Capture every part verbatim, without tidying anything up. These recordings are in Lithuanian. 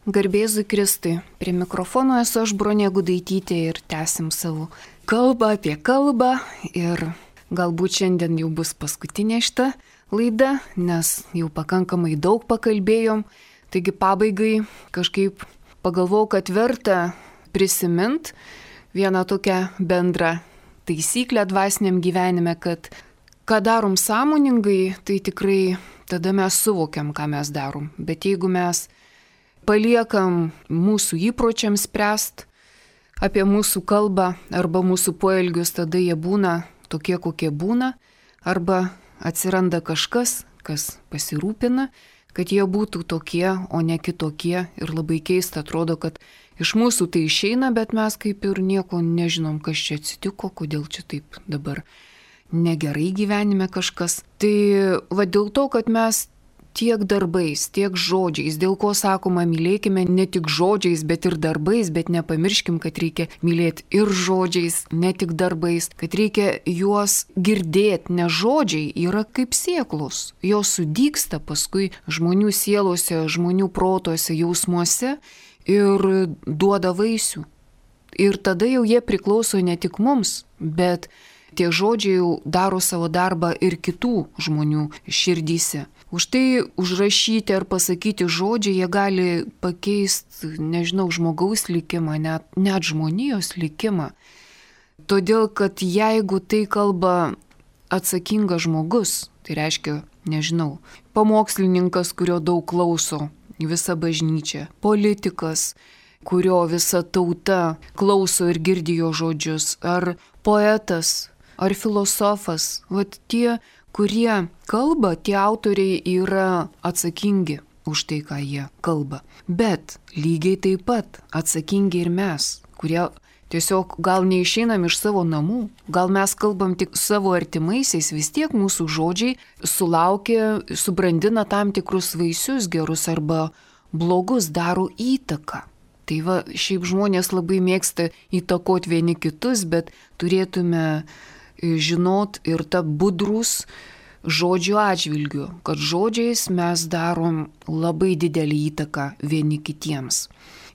Garbėzui Kristui, prie mikrofono esu aš Bronė Gudaitytė ir tęsim savo kalbą apie kalbą ir galbūt šiandien jau bus paskutinė šita laida, nes jau pakankamai daug pakalbėjom, taigi pabaigai kažkaip pagalvojau, kad verta prisimint vieną tokią bendrą taisyklę dvasiniam gyvenime, kad ką darom sąmoningai, tai tikrai tada mes suvokiam, ką mes darom, bet jeigu mes paliekam mūsų įpročiams spręst apie mūsų kalbą arba mūsų poelgius, tada jie būna tokie, kokie būna, arba atsiranda kažkas, kas pasirūpina, kad jie būtų tokie, o ne kitokie. Ir labai keista atrodo, kad iš mūsų tai išeina, bet mes kaip ir nieko nežinom, kas čia atsitiko, kodėl čia taip dabar negerai gyvenime kažkas. Tai va dėl to, kad mes tiek darbais, tiek žodžiais, dėl ko sakoma, mylėkime ne tik žodžiais, bet ir darbais, bet nepamirškim, kad reikia mylėti ir žodžiais, ne tik darbais, kad reikia juos girdėti, nes žodžiai yra kaip sėklos, jos sudygsta paskui žmonių sielose, žmonių protuose, jausmuose ir duoda vaisių. Ir tada jau jie priklauso ne tik mums, bet tie žodžiai jau daro savo darbą ir kitų žmonių širdyse. Už tai užrašyti ar pasakyti žodžiai, jie gali pakeisti, nežinau, žmogaus likimą, net, net žmonijos likimą. Todėl, kad jeigu tai kalba atsakingas žmogus, tai reiškia, nežinau, pamokslininkas, kurio daug klauso visa bažnyčia, politikas, kurio visa tauta klauso ir girdi jo žodžius, ar poetas, ar filosofas, vat tie, kurie kalba, tie autoriai yra atsakingi už tai, ką jie kalba. Bet lygiai taip pat atsakingi ir mes, kurie tiesiog gal neišeinam iš savo namų, gal mes kalbam tik savo artimaisiais, vis tiek mūsų žodžiai sulaukia, subrandina tam tikrus vaisius gerus arba blogus, daro įtaką. Tai va, šiaip žmonės labai mėgsta įtakoti vieni kitus, bet turėtume žinot ir ta budrus žodžių atžvilgių, kad žodžiais mes darom labai didelį įtaką vieni kitiems.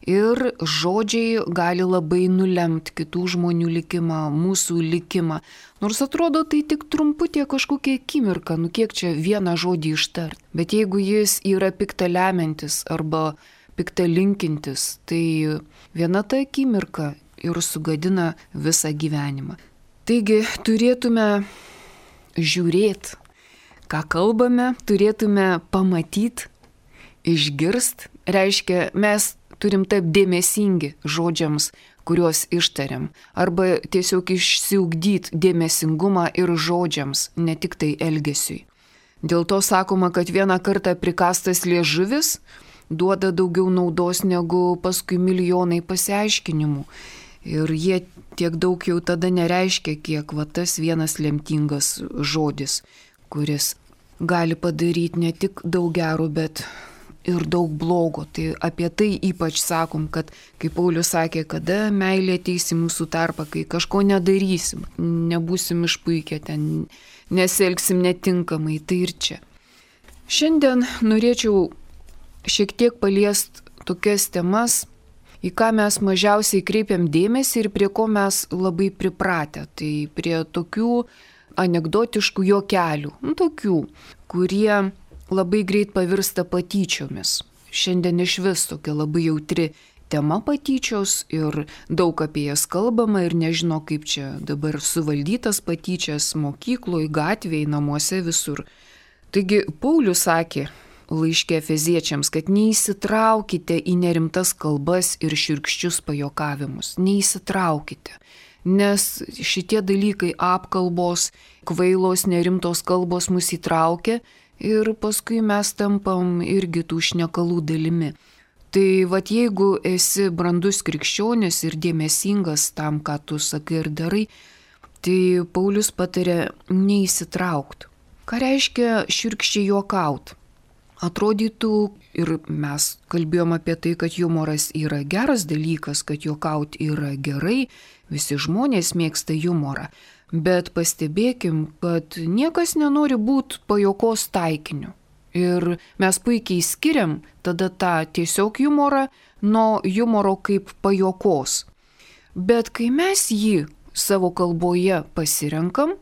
Ir žodžiai gali labai nulemti kitų žmonių likimą, mūsų likimą. Nors atrodo tai tik trumputė kažkokia akimirka, nu kiek čia vieną žodį ištart. Bet jeigu jis yra piktą lemiantis arba piktą linkintis, tai viena ta akimirka ir sugadina visą gyvenimą. Taigi turėtume žiūrėti, ką kalbame, turėtume pamatyti, išgirst. Reiškia, mes turim taip dėmesingi žodžiams, kuriuos ištariam. Arba tiesiog išsiugdyti dėmesingumą ir žodžiams, ne tik tai elgesiui. Dėl to sakoma, kad vieną kartą prikastas liežuvis duoda daugiau naudos negu paskui milijonai pasiaiškinimų. Ir jie tiek daug jau tada nereiškia, kiek va tas vienas lemtingas žodis, kuris gali padaryti ne tik daug gero, bet ir daug blogo. Tai apie tai ypač sakom, kad, kaip Paulius sakė, kada meilė ateis į mūsų tarpą, kai kažko nedarysim, nebūsim išpuikę ten, nesielgsim netinkamai, tai ir čia. Šiandien norėčiau šiek tiek paliest tokias temas, į ką mes mažiausiai kreipiam dėmesį ir prie ko mes labai pripratę. Tai prie tokių anekdotiškų juokelių, nu, tokių, kurie labai greit pavirsta patyčiomis. Šiandien iš vis tokia labai jautri tema patyčios ir daug apie jas kalbama ir nežino, kaip čia dabar suvaldytas patyčias mokykloje, gatvėje, namuose, visur. Taigi Paulius sakė laiške Efeziečiams, kad neįsitraukite į nerimtas kalbas ir šiurkščius pajuokavimus. Neįsitraukite, nes šitie dalykai, apkalbos, kvailos, nerimtos kalbos mus įtraukia ir paskui mes tampam irgi tų šnekalų dalimi. Tai vat jeigu esi brandus krikščionis ir dėmesingas tam, ką tu sakai ir darai, tai Paulius patarė neįsitraukti. Ką reiškia šiurkščiai juokaut? Atrodytų, ir mes kalbėjom apie tai, kad humoras yra geras dalykas, kad juokauti yra gerai, visi žmonės mėgsta humorą, bet pastebėkim, kad niekas nenori būti pajuokos taikiniu. Ir mes puikiai skiriam tada tą tiesiog humorą nuo humoro kaip pajokos. Bet kai mes jį savo kalboje pasirenkam,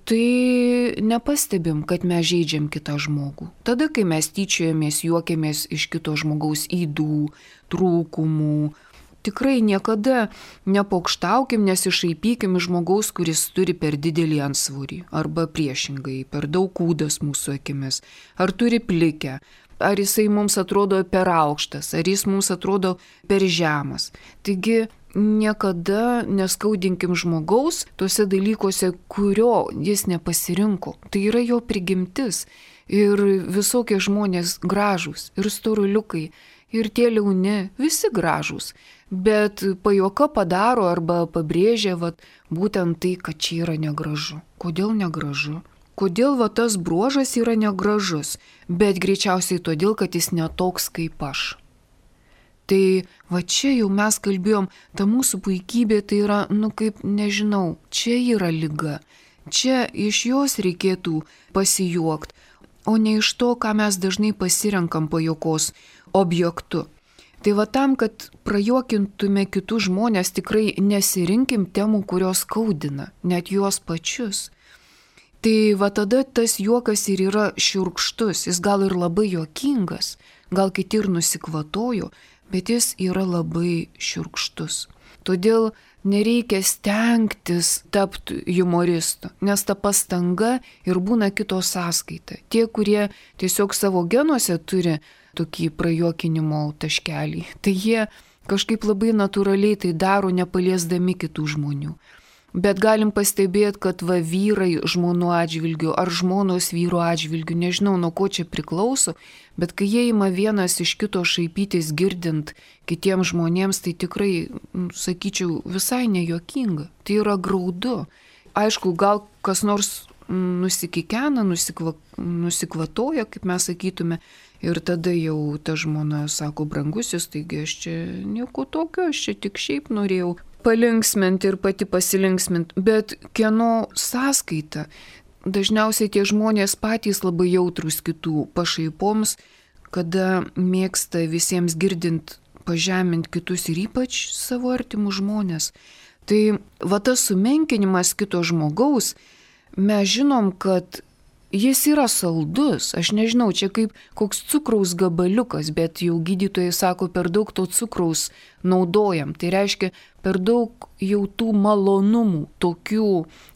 tai nepastebim, kad mes žeidžiam kitą žmogų. Tada, kai mes tyčiojamės, juokiamės iš kito žmogaus ydų, trūkumų, tikrai niekada nepokštaukim, nesišaipykim iš žmogaus, kuris turi per didelį antsvorį, arba priešingai, per daug kūdas mūsų akimis, ar turi plikę, ar jisai mums atrodo per aukštas, ar jis mums atrodo per žemas. Taigi, niekada neskaudinkim žmogaus tuose dalykuose, kurio jis nepasirinko. Tai yra jo prigimtis. Ir visokie žmonės gražūs, ir storuliukai, ir tie liauni, visi gražūs. Bet pajuoka padaro arba pabrėžia vat, būtent tai, kad čia yra negražu. Kodėl negražu? Kodėl va, tas bruožas yra negražus? Bet greičiausiai todėl, kad jis netoks kaip aš. Tai va čia jau mes kalbėjom, ta mūsų puikybė tai yra, nu kaip, nežinau, čia yra liga. Čia iš jos reikėtų pasijuokti, o ne iš to, ką mes dažnai pasirenkam pajuokos objektu. Tai va tam, kad prajuokintume kitus žmonės, tikrai nesirinkim temų, kurios skaudina, net juos pačius. Tai va tada tas juokas ir yra šiurkštus, jis gal ir labai juokingas, gal kiti ir nusikvatojo, bet jis yra labai šiurkštus. Todėl nereikia stengtis tapti humoristu, nes ta pastanga ir būna kito sąskaita. Tie, kurie tiesiog savo genuose turi tokį prajuokinimo taškelį, tai jie kažkaip labai natūraliai tai daro, nepaliesdami kitų žmonių. Bet galim pastebėti, kad va vyrai žmonų atžvilgių ar žmonos vyro atžvilgių, nežinau nuo ko čia priklauso, bet kai jie ima vienas iš kito šaipytis girdint kitiems žmonėms, tai tikrai, sakyčiau, visai nejuokinga. Tai yra graudu. Aišku, gal kas nors nusikikena, nusikva, nusikvatoja, kaip mes sakytume, ir tada jau ta žmona sako, brangusis, taigi aš čia nieko tokio, aš čia tik šiaip norėjau palinksminti ir pati pasilinksminti, bet kieno sąskaita? Dažniausiai tie žmonės patys labai jautrus kitų pašaipoms, kada mėgsta visiems girdint pažemint kitus ir ypač savo artimus žmonės. Tai va tas sumenkinimas kito žmogaus, mes žinom, kad jis yra saldus, aš nežinau, čia kaip koks cukraus gabaliukas, bet jau gydytojai sako, per daug to cukraus naudojam. Tai reiškia, per daug jau tų malonumų, tokių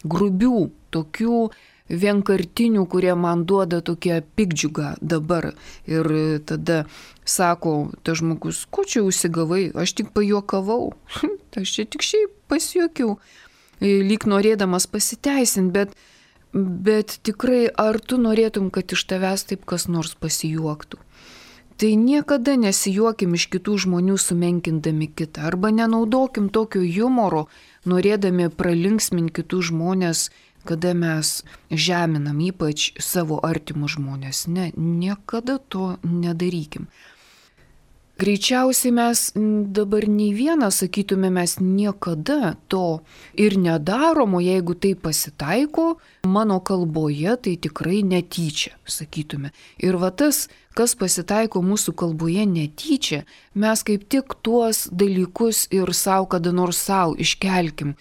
grubių, tokių vienkartinių, kurie man duoda tokią pikdžiugą dabar. Ir tada sako, ta žmogus, ko čia užsigavai, aš tik pajuokavau, aš čia tik šiaip pasijuokiau, lyg norėdamas pasiteisinti, bet Bet tikrai, ar tu norėtum, kad iš tavęs taip kas nors pasijuoktų? Tai niekada nesijuokim iš kitų žmonių sumenkindami kitą, arba nenaudokim tokio humoro, norėdami pralinksminti kitų žmonės, kada mes žeminam ypač savo artimus žmonės. Ne, niekada to nedarykim. Greičiausiai mes dabar nei vieną sakytume, mes niekada to ir nedarom, o jeigu tai pasitaiko mano kalboje, tai tikrai netyčia, sakytume. Ir va tas, kas pasitaiko mūsų kalboje netyčia, mes kaip tik tuos dalykus ir savo kada nors savo iškelkim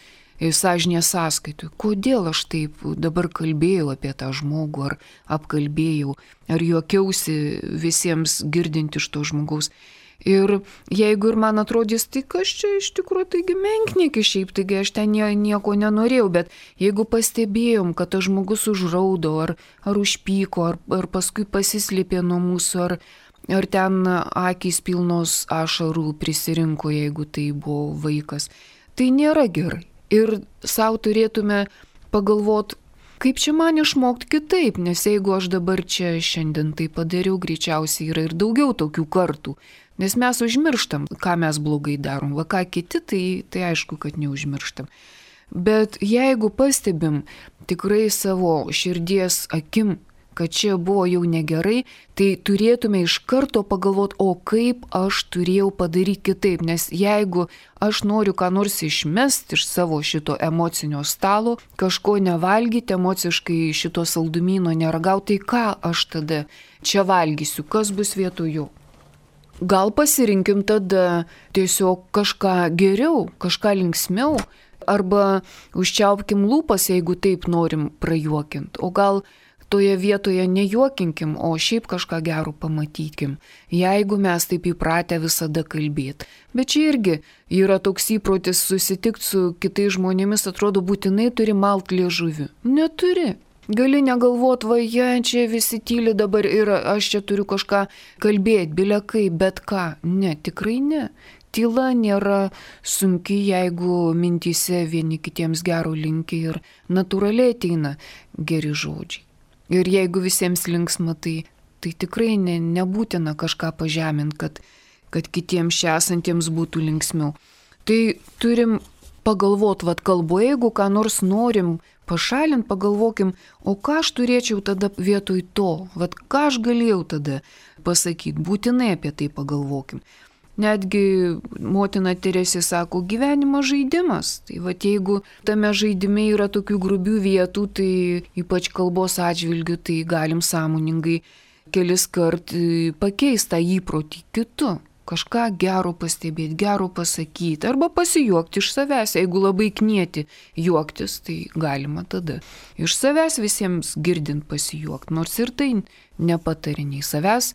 sąžinės sąskaitui. Kodėl aš taip dabar kalbėjau apie tą žmogų, ar apkalbėjau, ar juokiausi visiems girdint iš to žmogaus. Ir jeigu ir man atrodys, tai kas čia iš tikrųjų, taigi menkniekis šiaip, taigi aš ten nieko nenorėjau, bet jeigu pastebėjom, kad tas žmogus užraudo, ar, ar užpyko, ar, ar paskui pasislėpė nuo mūsų, ar, ar ten akys pilnos ašarų prisirinko, jeigu tai buvo vaikas, tai nėra gerai. Ir savo turėtume pagalvoti, kaip čia man išmokti kitaip, nes jeigu aš dabar čia šiandien tai padariau, greičiausiai yra ir daugiau tokių kartų. Nes mes užmirštam, ką mes blogai darom, va ką kiti, tai, tai aišku, kad neužmirštam. Bet jeigu pastebim tikrai savo širdies akim, kad čia buvo jau negerai, tai turėtume iš karto pagalvoti, o kaip aš turėjau padaryti kitaip, nes jeigu aš noriu ką nors išmesti iš savo šito emocinio stalo, kažko nevalgyti, emociškai šito saldumyno neragauti, tai ką aš tada čia valgysiu, kas bus vietoju? Gal pasirinkim tada tiesiog kažką geriau, kažką linksmiau, arba užčiaupkim lūpas, jeigu taip norim prajuokinti, o gal toje vietoje nejuokinkim, o šiaip kažką gero pamatykim, jeigu mes taip įpratę visada kalbėti. Bet čia irgi yra toks įprotis susitikti su kitais žmonėmis, atrodo būtinai turi malt liežuvį. Neturi. Gali negalvot, va, jie čia visi tyli dabar ir aš čia turiu kažką kalbėti, bilekai, bet ką. Ne, tikrai ne. Tyla nėra sunki, jeigu mintyse vieni kitiems gero linki ir natūraliai ateina geri žodžiai. Ir jeigu visiems linksma, tai, tai tikrai ne, nebūtina kažką pažeminti, kad, kad kitiems čia esantiems būtų linksmiau. Tai turim pagalvoti, vad kalboje, jeigu ką nors norim pašalinti, pagalvokim, o ką aš turėčiau tada vietoj to, vad ką aš galėjau tada pasakyti, būtinai apie tai pagalvokim. Netgi motina Teresė sako, gyvenimas žaidimas. Tai va, jeigu tame žaidime yra tokių grubių vietų, tai ypač kalbos atžvilgių, tai galim sąmoningai kelis kart pakeisti tą įprotį kitu. Kažką gero pastebėti, gero pasakyti arba pasijuokti iš savęs. Jeigu labai knieti juoktis, tai galima tada iš savęs visiems girdint pasijuokti. Nors ir tai nepatariniai savęs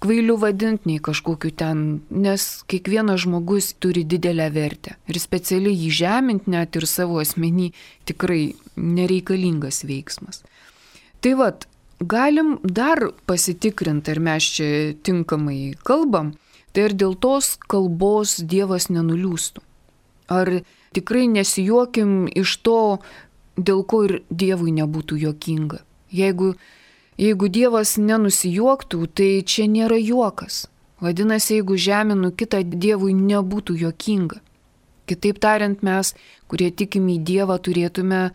kvailiu vadinti, nei kažkokiu ten, nes kiekvienas žmogus turi didelę vertę. Ir specialiai jį žeminti net ir savo asmenį tikrai nereikalingas veiksmas. Tai vat, galim dar pasitikrinti, ar mes čia tinkamai kalbam, tai ir dėl tos kalbos Dievas nenuliūstų. Ar tikrai nesijuokim iš to, dėl ko ir Dievui nebūtų juokinga. Jeigu Jeigu Dievas nenusijuoktų, tai čia nėra juokas. Vadinasi, jeigu žeminu kitą, Dievui nebūtų juokinga. Kitaip tariant, mes, kurie tikim į Dievą, turėtume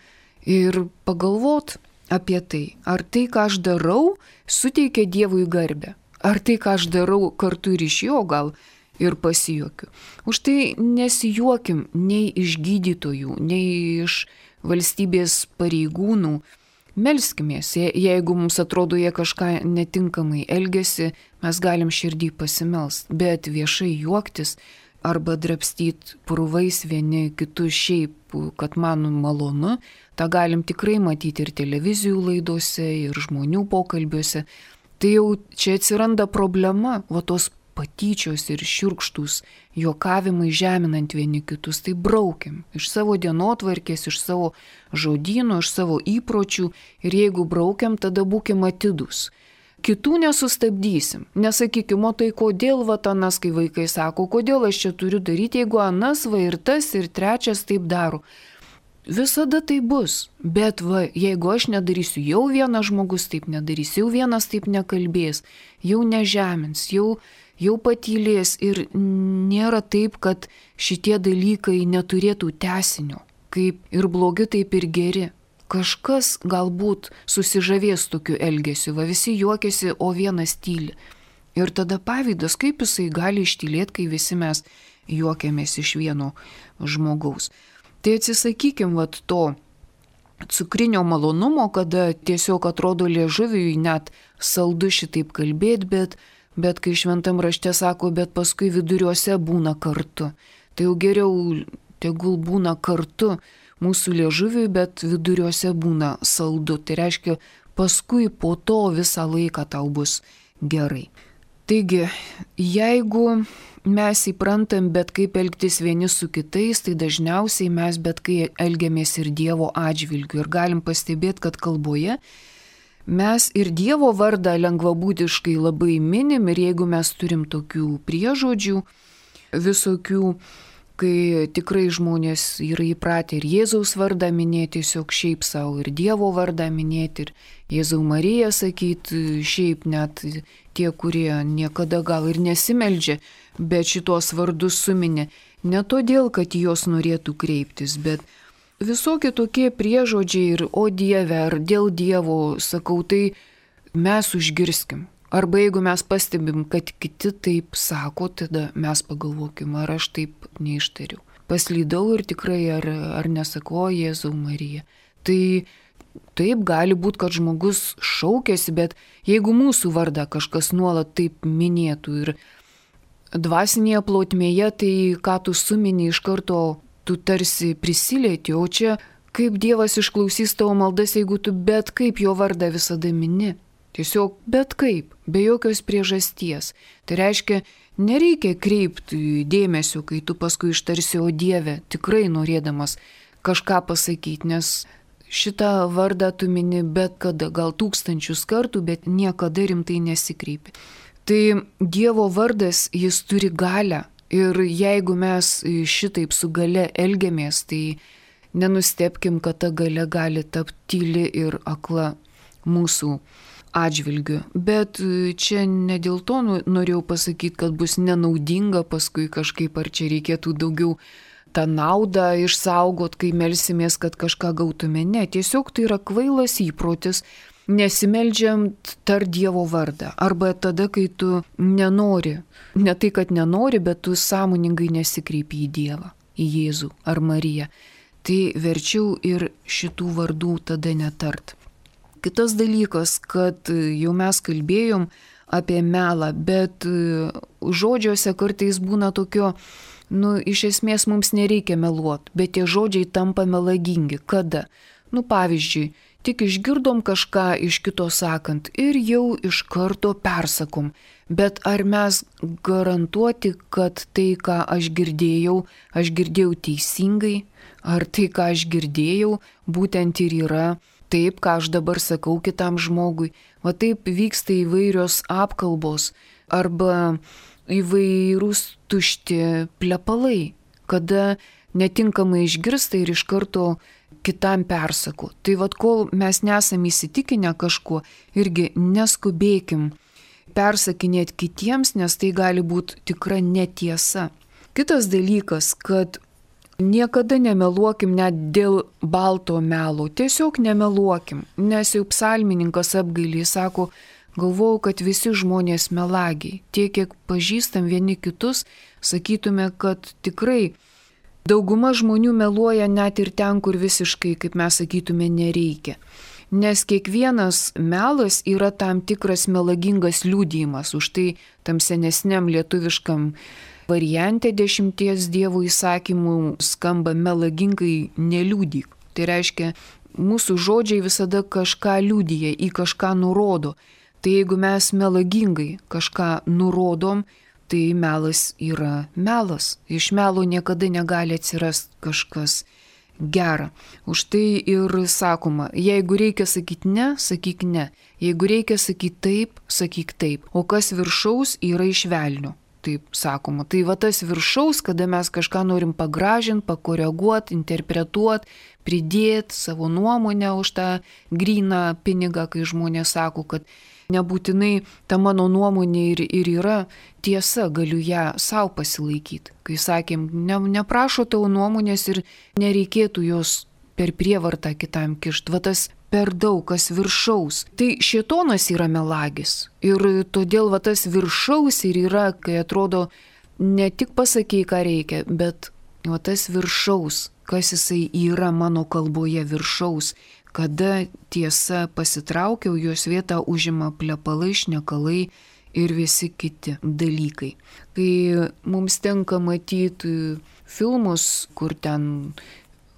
ir pagalvoti apie tai. Ar tai, ką aš darau, suteikia Dievui garbę. Ar tai, ką aš darau, kartu ir iš jo gal ir pasijuokiu. Už tai nesijuokim nei iš gydytojų, nei iš valstybės pareigūnų. Melskimės, jeigu mums atrodo, jie kažką netinkamai elgesi, mes galim širdį pasimelst, bet viešai juoktis arba drabstyti purvais vieni kitus šiaip, kad man malonu, tą galim tikrai matyti ir televizijų laidose, ir žmonių pokalbiuose. Tai jau čia atsiranda problema, va tos patyčios ir šiurkštūs juokavimai žeminant vieni kitus, tai braukim iš savo dienotvarkės, iš savo žodyno, iš savo įpročių ir jeigu braukiam, tada būkim atidūs. Kitų nesustabdysim, nesakykim, o tai kodėl va anas, kai vaikai sako, kodėl aš čia turiu daryti, jeigu anas va ir tas ir trečias taip daro. Visada tai bus, bet va, jeigu aš nedarysiu, jau vienas žmogus taip nedarys, jau vienas taip nekalbės, jau nežemins, jau jau patylės ir nėra taip, kad šitie dalykai neturėtų tęsinio, kaip ir blogi, taip ir geri. Kažkas galbūt susižavės tokiu elgesiu, va visi juokiasi, o vienas tyli. Ir tada pavydas, kaip jisai gali ištylėti, kai visi mes juokiamės iš vieno žmogaus. Tai atsisakykim vat to cukrinio malonumo, kada tiesiog atrodo liežuviui net saldu šitaip kalbėti, bet Bet kai šventam rašte sako, bet paskui viduriuose būna kartu. Tai jau geriau tegul būna kartu mūsų liežuviui, bet viduriuose būna saldu. Tai reiškia, paskui po to visą laiką tau bus gerai. Taigi, jeigu mes įprantam bet kaip elgtis vieni su kitais, tai dažniausiai mes bet kai elgiamės ir Dievo atžvilgiu. Ir galim pastebėti, kad kalboje mes ir Dievo vardą lengvabūdiškai labai minim ir jeigu mes turim tokių priežodžių visokių, kai tikrai žmonės yra įpratę ir Jėzaus vardą minėti tiesiog šiaip savo, ir Dievo vardą minėti, ir Jėzau Mariją sakyti šiaip net tie, kurie niekada gal ir nesimeldžia, bet šitos vardus suminė ne todėl, kad jos norėtų kreiptis, bet visokie tokie priežodžiai ir o Dieve, ar dėl Dievo, sakau, tai mes užgirskim. Arba jeigu mes pastebim, kad kiti taip sako, tada mes pagalvokim, ar aš taip neištariu. Paslydau ir tikrai ar, ar nesakau Jėzau Marija. Tai taip gali būti, kad žmogus šaukėsi, bet jeigu mūsų vardą kažkas nuolat taip minėtų ir dvasinėje plotmėje, tai ką tu sumini iš karto, tu tarsi prisilieti, o čia kaip Dievas išklausys tavo maldas, jeigu tu bet kaip jo vardą visada mini. Tiesiog bet kaip, be jokios priežasties. Tai reiškia, nereikia kreipti dėmesio, kai tu paskui ištarsi o Dieve, tikrai norėdamas kažką pasakyti, nes šitą vardą tu mini bet kada, gal tūkstančius kartų, bet niekada rimtai nesikreipi. Tai Dievo vardas, jis turi galią ir jeigu mes šitaip su gale elgiamės, tai nenustebkim, kad ta galia gali tapti tyli ir akla mūsų atžvilgiu. Bet čia ne dėl to norėjau pasakyti, kad bus nenaudinga paskui kažkaip, ar čia reikėtų daugiau tą naudą išsaugot, kai melsimės, kad kažką gautume. Ne, tiesiog tai yra kvailas įprotis, nesimeldžiant tar Dievo vardą. Arba tada, kai tu nenori, ne tai, kad nenori, bet tu sąmoningai nesikreipi į Dievą, į Jėzų ar Mariją. Tai verčiau ir šitų vardų tada netart. Kitas dalykas, kad jau mes kalbėjom apie melą, bet žodžiuose kartais būna tokio, nu, iš esmės mums nereikia meluoti, bet tie žodžiai tampa melagingi. Kada? Nu, pavyzdžiui, tik išgirdom kažką iš kito sakant ir jau iš karto persakom. Bet ar mes garantuoti, kad tai, ką aš girdėjau, aš girdėjau teisingai, ar tai, ką aš girdėjau, būtent ir yra taip, ką aš dabar sakau kitam žmogui. Va taip vyksta įvairios apkalbos arba įvairūs tušti plepalai, kada netinkamai išgirsta ir iš karto kitam persako. Tai vad, kol mes nesam įsitikinę kažkuo, irgi neskubėkim persakinėti kitiems, nes tai gali būti tikra netiesa. Kitas dalykas, kad niekada nemeluokim net dėl balto melo, tiesiog nemeluokim, nes jau psalmininkas apgailį sako, galvojau, kad visi žmonės melagiai, tiek kiek pažįstam vieni kitus, sakytume, kad tikrai dauguma žmonių meluoja net ir ten, kur visiškai, kaip mes sakytume, nereikia. Nes kiekvienas melas yra tam tikras melagingas liudijimas, už tai tam senesniam lietuviškam variante dešimties Dievo įsakymų skamba melagingai neliudyk. Tai reiškia, mūsų žodžiai visada kažką liudija, į kažką nurodo. Tai jeigu mes melagingai kažką nurodom, tai melas yra melas. Iš melo niekada negali atsirasti kažkas gera. Už tai ir sakoma, jeigu reikia sakyti ne, sakyk ne. Jeigu reikia sakyti taip, sakyk taip. O kas viršaus yra iš velnio. Taip sakoma. Tai va tas viršaus, kada mes kažką norim pagražinti, pakoreguoti, interpretuoti, pridėti savo nuomonę už tą gryną pinigą, kai žmonės sako, kad nebūtinai ta mano nuomonė ir, ir yra tiesa, galiu ją savo pasilaikyti. Kai sakėm, ne, neprašo tavo nuomonės ir nereikėtų jos per prievartą kitam kišt. Va tas per daug, kas viršaus. Tai šėtonas yra melagis. Ir todėl va tas viršaus ir yra, kai atrodo, ne tik pasakai, ką reikia, bet va tas viršaus, kas jisai yra mano kalboje viršaus, kada tiesa pasitraukiau, jos vietą užima plepalai, šnekalai ir visi kiti dalykai. Kai mums tenka matyti filmus, kur ten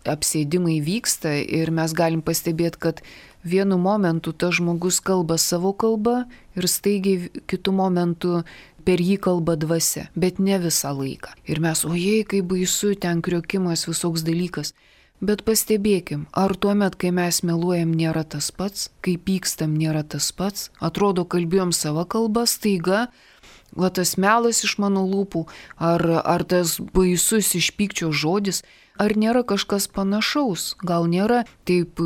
apsėdimai vyksta ir mes galim pastebėti, kad vienu momentu tas žmogus kalba savo kalbą ir staigiai kitu momentu per jį kalba dvasia, bet ne visą laiką. Ir mes, ojei, kaip baisu, ten kriokimas, visoks dalykas. Bet pastebėkim, ar tuomet, kai mes meluojam, nėra tas pats, kai pykstam, nėra tas pats, atrodo, kalbėjom savo kalbą, staiga, va tas melas iš mano lūpų, ar, ar tas baisus iš pykčio žodis, ar nėra kažkas panašaus, gal nėra taip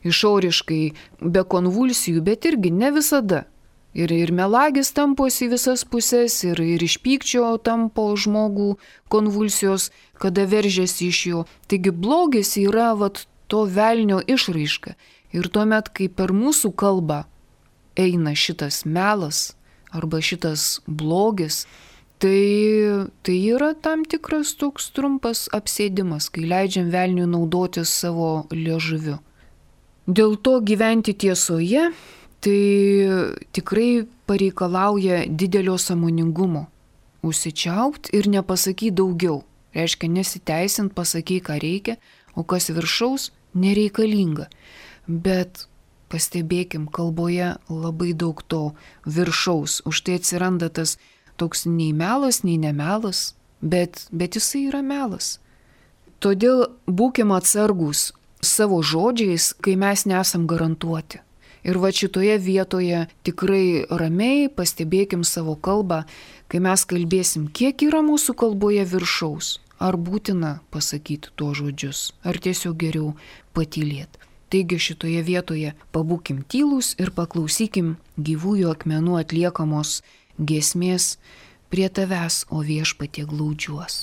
išoriškai be konvulsijų, bet irgi ne visada. Ir, ir melagis tamposi visas pusės, ir, ir iš pykčio tampo žmogų konvulsijos, kada veržiasi iš jo. Taigi blogis yra vat, to velnio išraiška. Ir tuomet, kai per mūsų kalbą eina šitas melas arba šitas blogis, tai, tai yra tam tikras toks trumpas apsėdimas, kai leidžiam velniui naudotis savo liežuviu. Dėl to gyventi tiesoje tai tikrai pareikalauja didelio sąmoningumo. Užsičiaupt ir nepasakyti daugiau. Reiškia nesiteisint, pasakyk, ką reikia, o kas viršaus nereikalinga. Bet pastebėkim, kalboje labai daug to viršaus. Už tai atsiranda tas toks nei melas, nei nemelas, bet, bet jisai yra melas. Todėl būkim atsargus savo žodžiais, kai mes nesam garantuoti. Ir va šitoje vietoje tikrai ramiai pastebėkim savo kalbą, kai mes kalbėsim, kiek yra mūsų kalboje viršaus. Ar būtina pasakyti tuos žodžius, ar tiesiog geriau patylėti. Taigi šitoje vietoje pabūkim tylūs ir paklausykim gyvųjų akmenų atliekamos giesmės Prie tavęs, o Viešpatie, glaudžiuos.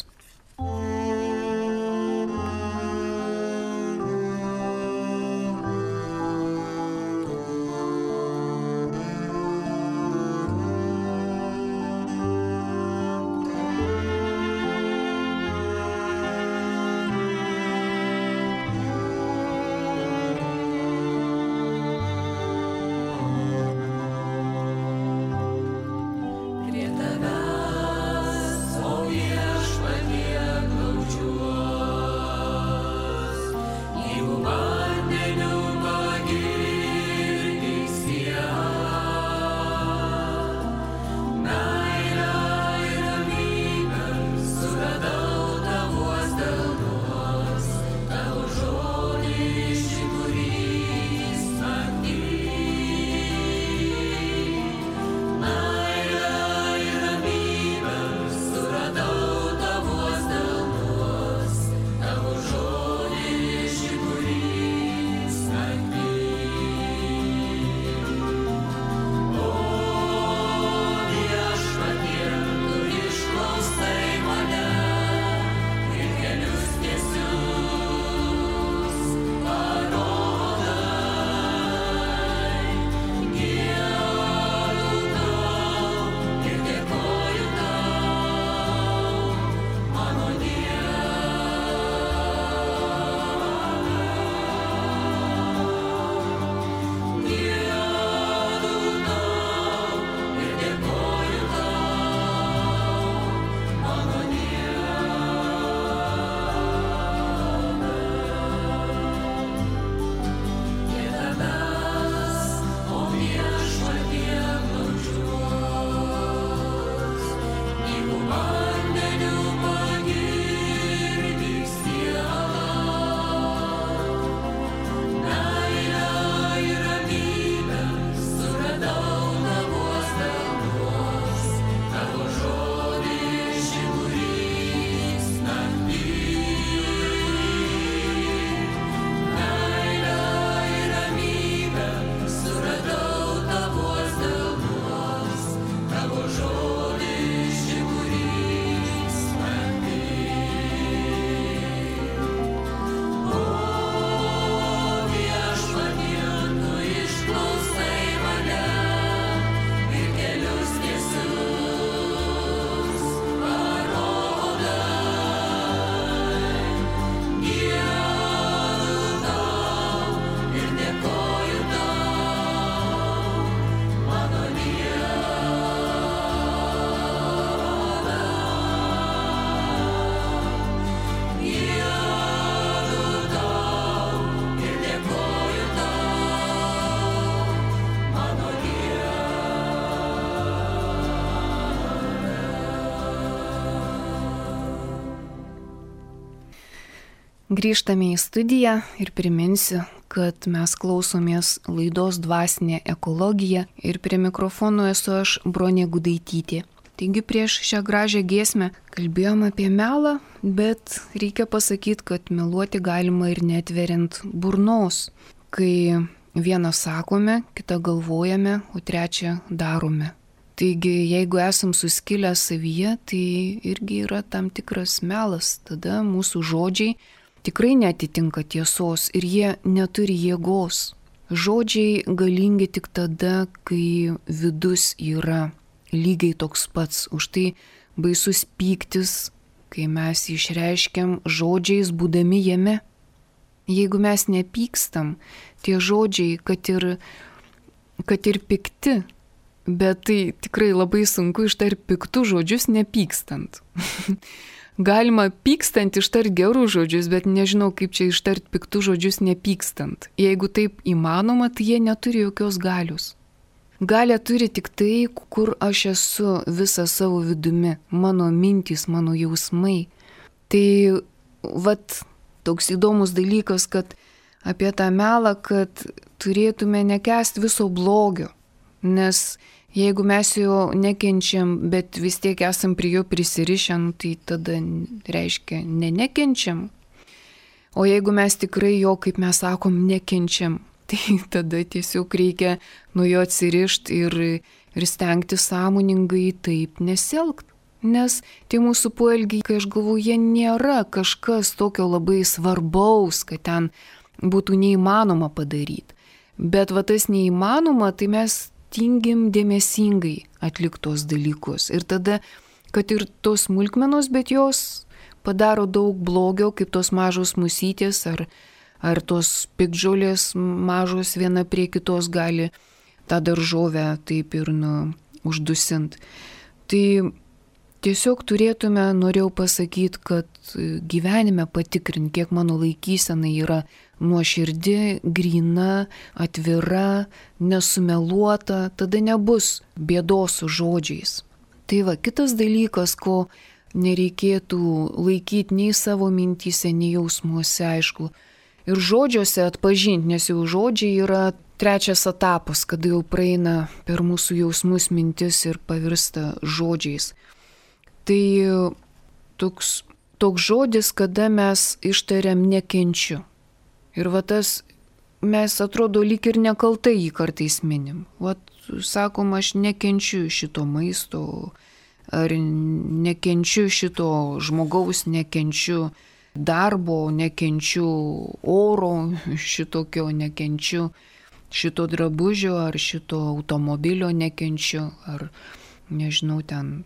Grįžtame į studiją ir priminsiu, kad mes klausomės laidos Dvasinė ekologija ir prie mikrofono esu aš, Bronė Gudaitytė. Taigi prieš šią gražią giesmę kalbėjom apie melą, bet reikia pasakyti, kad meluoti galima ir netveriant burnos, kai vieną sakome, kitą galvojame, o trečią darome. Taigi, jeigu esam suskilę savyje, tai irgi yra tam tikras melas, tada mūsų žodžiai tikrai netitinka tiesos ir jie neturi jėgos. žodžiai galingi tik tada, kai vidus yra lygiai toks pats. Už tai baisus pyktis, kai mes išreiškiam žodžiais būdami jame. Jeigu mes nepykstam, tie žodžiai, kad ir, kad ir pikti, bet tai tikrai labai sunku ištarti piktų žodžius nepykstant. Galima pykstant ištarti gerų žodžius, bet nežinau, kaip čia ištarti piktų žodžius nepykstant. Jeigu taip įmanoma, tai jie neturi jokios galios. Galę turi tik tai, kur aš esu visą savo vidumi, mano mintys, mano jausmai. Tai vat toks įdomus dalykas, kad apie tą melą, kad turėtume nekęsti viso blogio, nes jeigu mes jo nekenčiam, bet vis tiek esam prie jo prisirišę, tai tada reiškia ne nekenčiam. O jeigu mes tikrai jo, kaip mes sakom, nekenčiam, tai tada tiesiog reikia nuo jo atsirišti ir, ir stengti sąmoningai taip nesielgti. Nes tie mūsų poelgiai, kai aš galvoju, jie nėra kažkas tokio labai svarbaus, kad ten būtų neįmanoma padaryti. Bet va tas neįmanoma, tai mes tingim dėmesingai atliktos dalykus. Ir tada, kad ir tos smulkmenos, bet jos padaro daug blogio, kaip tos mažos musytės ar, ar tos piktžolės mažos viena prie kitos gali tą daržovę taip ir nu, uždusinti. Tai tiesiog turėtume, norėjau pasakyti, kad gyvenime patikrint, kiek mano laikysena yra nuoširdi, gryna, atvira, nesumeluota, tada nebus bėdos su žodžiais. Tai va, kitas dalykas, ko nereikėtų laikyti nei savo mintyse, nei jausmuose, aišku. Ir žodžiuose atpažinti, nes jau žodžiai yra trečias etapas, kada jau praeina per mūsų jausmus mintis ir pavirsta žodžiais. Tai toks, toks žodis, kada mes ištariam nekenčiu. Ir va tas, mes atrodo lyg ir nekaltai jį kartais minim. Vat sakom, aš nekenčiu šito maisto, ar nekenčiu šito žmogaus, nekenčiu darbo, nekenčiu oro šitokio, nekenčiu šito drabužio, ar šito automobilio nekenčiu, ar nežinau ten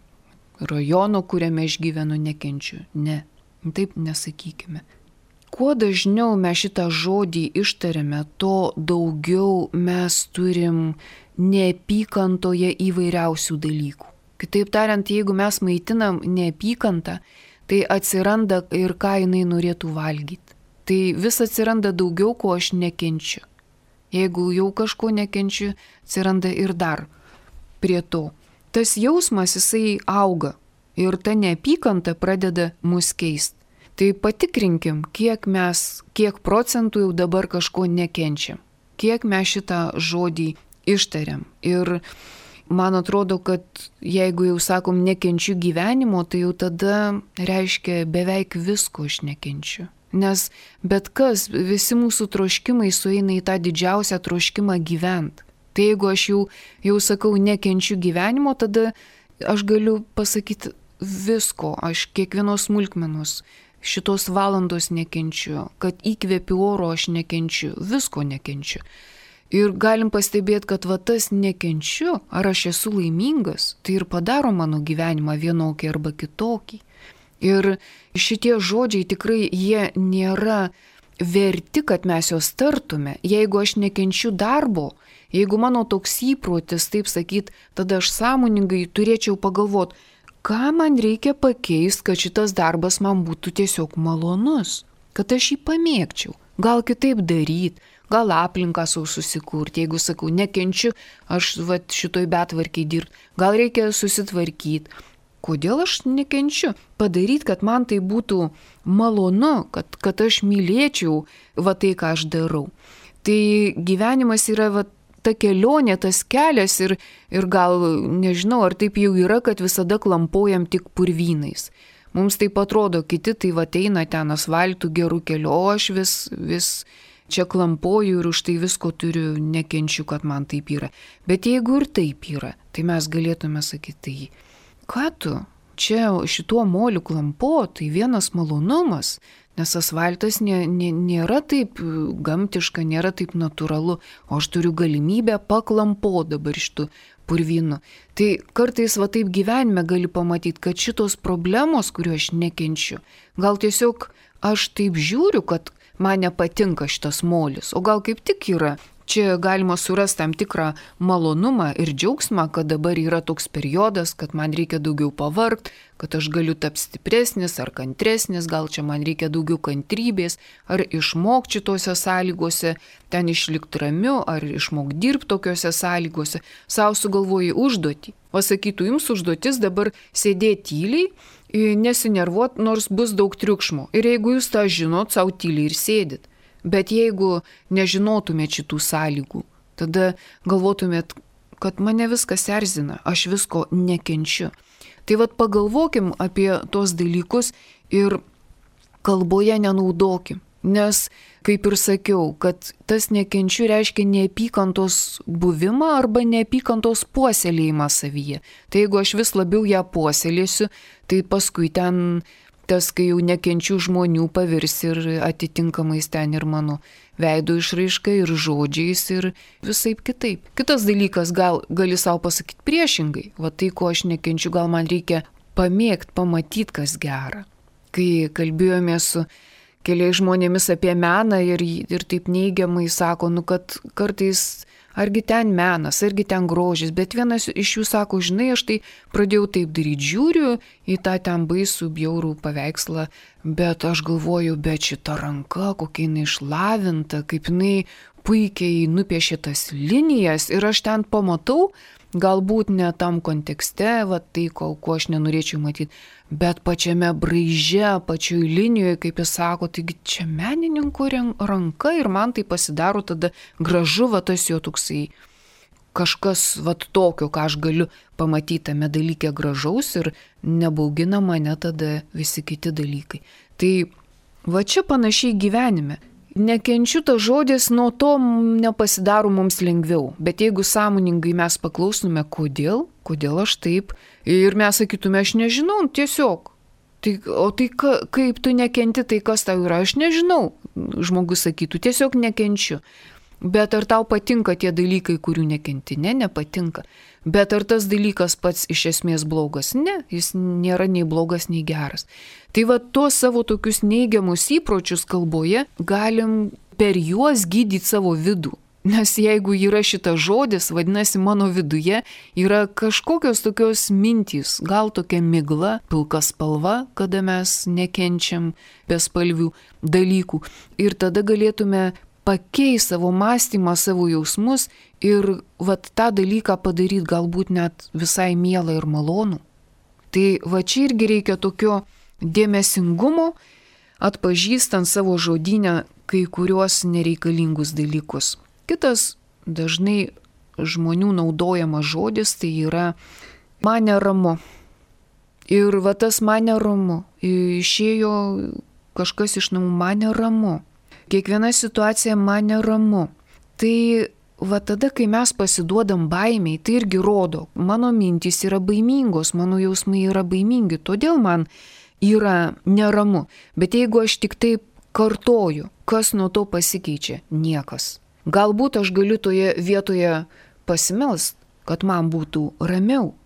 rajono, kuriame aš gyvenu, nekenčiu. Ne, taip nesakykime. Kuo dažniau mes šitą žodį ištariame, to daugiau mes turim neapykantoje įvairiausių dalykų. Kitaip tariant, jeigu mes maitinam neapykantą, tai atsiranda ir ką jinai norėtų valgyti. Tai vis atsiranda daugiau, ko aš nekenčiu. Jeigu jau kažko nekenčiu, atsiranda ir dar prie to. Tas jausmas, jisai auga ir ta neapykanta pradeda mus keisti. Tai patikrinkim, kiek mes, kiek procentų jau dabar kažko nekenčiam, kiek mes šitą žodį ištariam. Ir man atrodo, kad jeigu jau sakom nekenčiu gyvenimo, tai jau tada reiškia beveik visko aš nekenčiu. Nes bet kas, visi mūsų troškimai sueina į tą didžiausią troškimą gyventi. Tai jeigu aš jau, jau sakau nekenčiu gyvenimo, tada aš galiu pasakyti visko, aš kiekvienos smulkmenos, šitos valandos nekenčiu, kad įkvėpiu oro aš nekenčiu, visko nekenčiu. Ir galim pastebėti, kad va tas nekenčiu, ar aš esu laimingas, tai ir padaro mano gyvenimą vienokį arba kitokį. Ir šitie žodžiai tikrai jie nėra verti, kad mes juos tartume. Jeigu aš nekenčiu darbo, jeigu mano toks įprotis, taip sakyt, tada aš sąmoningai turėčiau pagalvoti, ką man reikia pakeisti, kad šitas darbas man būtų tiesiog malonus, kad aš jį pamėgčiau, gal kitaip daryti, gal aplinką savo susikurti, jeigu sakau, nekenčiu, aš vat, šitoj betvarkiai dirbti, gal reikia susitvarkyti. Kodėl aš nekenčiu? Padaryti, kad man tai būtų malonu, kad, kad aš mylėčiau va tai, ką aš darau. Tai gyvenimas yra va ta kelionė, tas kelias ir, ir gal, nežinau, ar taip jau yra, kad visada klampojam tik purvynais. Mums taip atrodo, kiti tai va eina ten asfaltų gerų kelių, o aš vis, vis čia klampoju ir už tai visko turiu, nekenčiu, kad man taip yra. Bet jeigu ir taip yra, tai mes galėtume sakyti, tai ką tu? čia šituo moliu klampo, tai vienas malonumas, nes asfaltas nė, nė, nėra taip gamtiška, nėra taip natūralu, o aš turiu galimybę paklampo dabar šitų purvynų. Tai kartais va taip gyvenime gali pamatyti, kad šitos problemos, kuriuo aš nekenčiu, gal tiesiog aš taip žiūriu, kad man nepatinka šitas molis, o gal kaip tik yra. Čia galima surasti tam tikrą malonumą ir džiaugsmą, kad dabar yra toks periodas, kad man reikia daugiau pavargti, kad aš galiu tapti stipresnis ar kantresnis, gal čia man reikia daugiau kantrybės, ar išmokti šitose sąlygose, ten išlikti ramiu, ar išmokti dirbti tokiose sąlygose. Sau sugalvoji užduotį. O sakytų, jums užduotis dabar sėdėti tyliai, nesinervuot, nors bus daug triukšmo. Ir jeigu jūs tą žinot, sau tyliai ir sėdit. Bet jeigu nežinotumėt šitų sąlygų, tada galvotumėt, kad mane viskas erzina, aš visko nekenčiu. Tai vat pagalvokim apie tos dalykus ir kalboje nenaudokim. Nes, kaip ir sakiau, kad tas nekenčiu reiškia neapykantos buvimą arba neapykantos puoselėjimą savyje. Tai jeigu aš vis labiau ją puoselėsiu, tai paskui ten tas, kai jau nekenčiu žmonių, pavirs ir atitinkamais ten ir mano veido išraiška, ir žodžiais, ir visaip kitaip. Kitas dalykas, gal gali savo pasakyti priešingai. Va tai, ko aš nekenčiu, gal man reikia pamėgti, pamatyti, kas gera. Kai kalbėjome su keliais žmonėmis apie meną ir, ir taip neigiamai sako, nu kad kartais argi ten menas, argi ten grožis, bet vienas iš jų sako, žinai, aš tai pradėjau taip daryti, žiūriu į tą ten baisų, bjaurų paveikslą, bet aš galvoju, bet šita ranka, kokia jinai išlavinta, kaip jinai puikiai nupiešė tas linijas ir aš ten pamatau, galbūt ne tam kontekste, va tai, ko, ko aš nenorėčiau matyti, bet pačiame braiže, pačioj linijoje, kaip jis sako, taigi čia menininko ranka ir man tai pasidaro tada gražu, va tas jo toksai kažkas va tokio, ką aš galiu pamatyti tame dalyke gražaus ir nebaugina mane tada visi kiti dalykai. Tai va čia panašiai gyvenime. Nekenčiu tas žodis, nuo to nepasidaro mums lengviau, bet jeigu sąmoningai mes paklausume, kodėl, kodėl aš taip, ir mes sakytume, aš nežinau, tiesiog, tai, o tai ka, kaip tu nekenti, tai kas tau yra, aš nežinau, žmogus sakytų, tiesiog nekenčiu. Bet ar tau patinka tie dalykai, kurių nekenti? Ne, nepatinka. Bet ar tas dalykas pats iš esmės blogas? Ne, jis nėra nei blogas, nei geras. Tai va tuos savo tokius neigiamus įpročius kalboje galim per juos gydyti savo vidų. Nes jeigu yra šitas žodis, vadinasi, mano viduje yra kažkokios tokios mintys, gal tokia migla, pilka spalva, kada mes nekenčiam bespalvių dalykų. Ir tada galėtume pakeisti savo mąstymą, savo jausmus ir vat tą dalyką padaryti galbūt net visai mielą ir malonų. Tai va čia irgi reikia tokio dėmesingumo, atpažįstant savo žodynę kai kuriuos nereikalingus dalykus. Kitas dažnai žmonių naudojamas žodis tai yra man neramu. Ir va tas man neramu. Išėjo kažkas iš namų, man neramu. Kiekviena situacija man neramu. Tai va tada, kai mes pasiduodam baimiai, tai irgi rodo, mano mintys yra baimingos, mano jausmai yra baimingi, todėl man yra neramu. Bet jeigu aš tik taip kartoju, kas nuo to pasikeičia? Niekas. Galbūt aš galiu toje vietoje pasimelst, kad man būtų ramiau.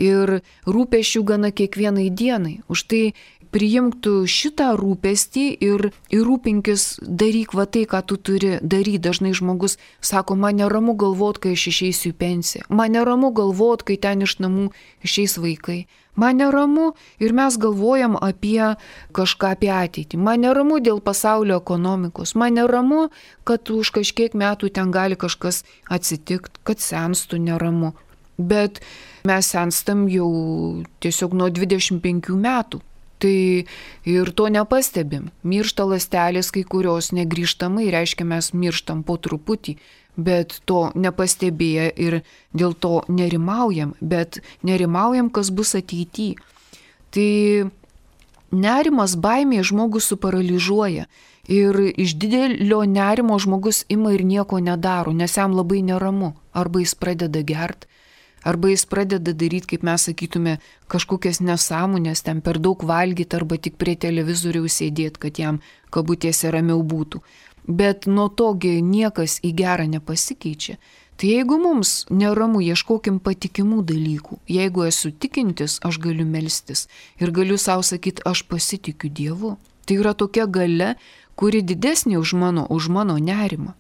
Ir rūpesčių gana kiekvienai dienai. Už tai priimtų šitą rūpestį ir, ir rūpinkis, daryk va tai, ką tu turi daryti. Dažnai žmogus sako, man neramu galvot, kai aš išeisiu į pensiją. Man neramu galvot, kai ten iš namų išeis vaikai. Man neramu ir mes galvojam apie kažką apie ateitį. Man neramu dėl pasaulio ekonomikos. Man neramu, kad už kažkiek metų ten gali kažkas atsitikti, kad senstų neramu. Bet mes senstam jau tiesiog nuo dvidešimt penkių metų. Tai ir to nepastebim. Miršta ląstelės kai kurios negrįžtamai, reiškia mes mirštam po truputį, bet to nepastebėję ir dėl to nerimaujam, bet nerimaujam, kas bus ateityje. Tai nerimas, baimė žmogus suparalyžuoja ir iš didelio nerimo žmogus ima ir nieko nedaro, nes jam labai neramu. Arba jis pradeda gert, Arba jis pradeda daryti, kaip mes sakytume, kažkokias nesąmonės, ten per daug valgyti arba tik prie televizoriaus sėdėti, kad jam kabutėse ramiau būtų. Bet nuo togi niekas į gerą nepasikeičia. Tai jeigu mums neramu, ieškokim patikimų dalykų. Jeigu esu tikintis, aš galiu melstis ir galiu savo sakyti, aš pasitikiu Dievu. Tai yra tokia galia, kuri didesnė už mano, už mano nerimą.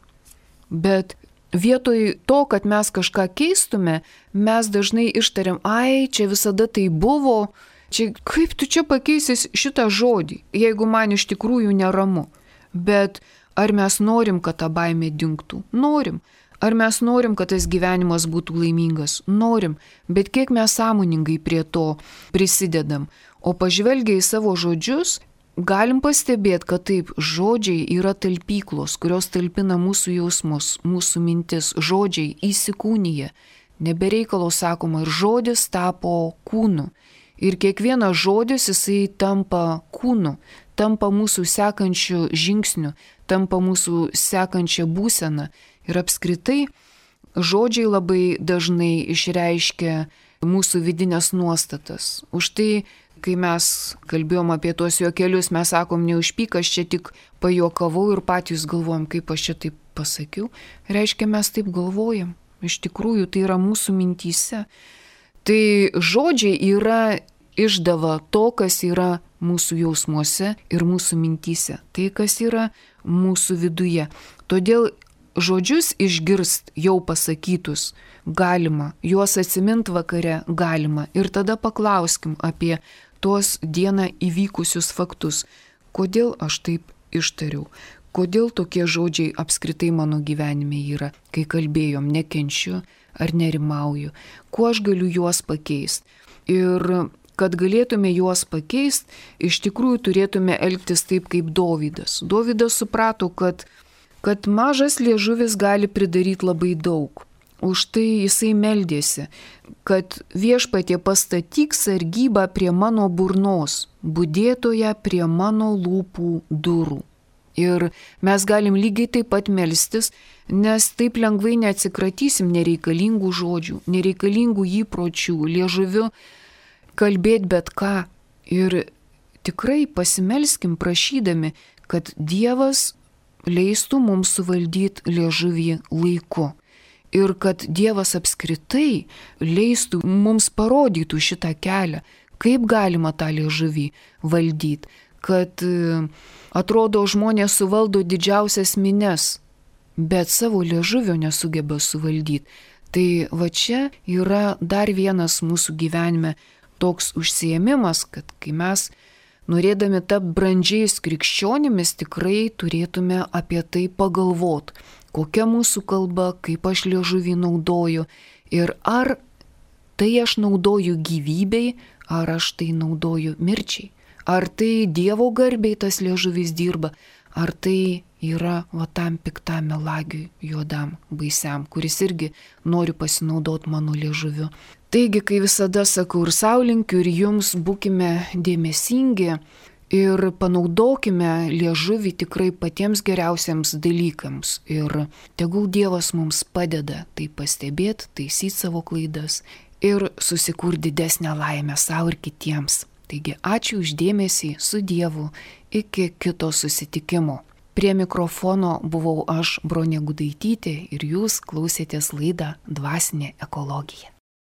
Bet vietoj to, kad mes kažką keistume, mes dažnai ištariam, ai, čia visada tai buvo, čia, kaip tu čia pakeisis šitą žodį, jeigu man iš tikrųjų neramu. Bet ar mes norim, kad ta baimė dingtų? Norim. Ar mes norim, kad tas gyvenimas būtų laimingas? Norim. Bet kiek mes sąmoningai prie to prisidedam? O pažvelgia į savo žodžius, galim pastebėti, kad taip, žodžiai yra talpyklos, kurios talpina mūsų jausmus, mūsų mintis, žodžiai įsikūnyje. Nebereikalo sakoma, ir žodis tapo kūnu. Ir kiekvienas žodis jisai tampa kūnu, tampa mūsų sekančiu žingsniu, tampa mūsų sekančia būsena. Ir apskritai žodžiai labai dažnai išreiškia mūsų vidinės nuostatas. Už tai, kai mes kalbėjom apie tuos juokelius, mes sakom, neužpyk, aš čia tik pajuokavau ir patys galvojam, kaip aš čia taip pasakiau. Reiškia, mes taip galvojam. Iš tikrųjų, tai yra mūsų mintyse. Tai žodžiai yra išdava to, kas yra mūsų jausmuose ir mūsų mintyse. Tai, kas yra mūsų viduje. Todėl žodžius išgirst jau pasakytus galima, juos atsimint vakare galima. Ir tada paklauskim apie tuos dieną įvykusius faktus. Kodėl aš taip ištariau? Kodėl tokie žodžiai apskritai mano gyvenime yra? Kai kalbėjom, nekenčiu ar nerimauju. Kuo aš galiu juos pakeisti? Ir kad galėtume juos pakeisti, iš tikrųjų turėtume elgtis taip kaip Dovydas. Dovydas suprato, kad, kad mažas liežuvis gali pridaryti labai daug. Už tai jisai meldėsi, kad viešpatie pastatyk sargybą prie mano burnos, budėtoje prie mano lūpų durų. Ir mes galim lygiai taip pat melstis, nes taip lengvai neatsikratysim nereikalingų žodžių, nereikalingų įpročių, liežuviu kalbėti bet ką. Ir tikrai pasimelskim prašydami, kad Dievas leistų mums suvaldyti liežuvį laiku. Ir kad Dievas apskritai leistų mums parodytų šitą kelią, kaip galima tą liežuvį valdyti. Kad atrodo žmonės suvaldo didžiausias mines, bet savo liežuvio nesugeba suvaldyti. Tai va čia yra dar vienas mūsų gyvenime toks užsiėmimas, kad kai mes norėdami tapti brandžiais krikščionimis, tikrai turėtume apie tai pagalvoti. Kokia mūsų kalba, kaip aš liežuvį naudoju ir ar tai aš naudoju gyvybei, ar aš tai naudoju mirčiai. Ar tai Dievo garbei tas liežuvis dirba, ar tai yra va tam piktam melagiui, juodam, baisiam, kuris irgi nori pasinaudoti mano liežuviu. Taigi, kai visada sakau ir sau linkiu, ir jums būkime dėmesingi ir panaudokime liežuvį tikrai patiems geriausiams dalykams. Ir tegul Dievas mums padeda tai pastebėti, taisyti savo klaidas ir susikurti didesnę laimę savo ir kitiems. Taigi ačiū už dėmesį, su Dievu, iki kito susitikimo. Prie mikrofono buvau aš, Bronė Gudaitytė, ir jūs klausėtės laidą Dvasinė ekologija.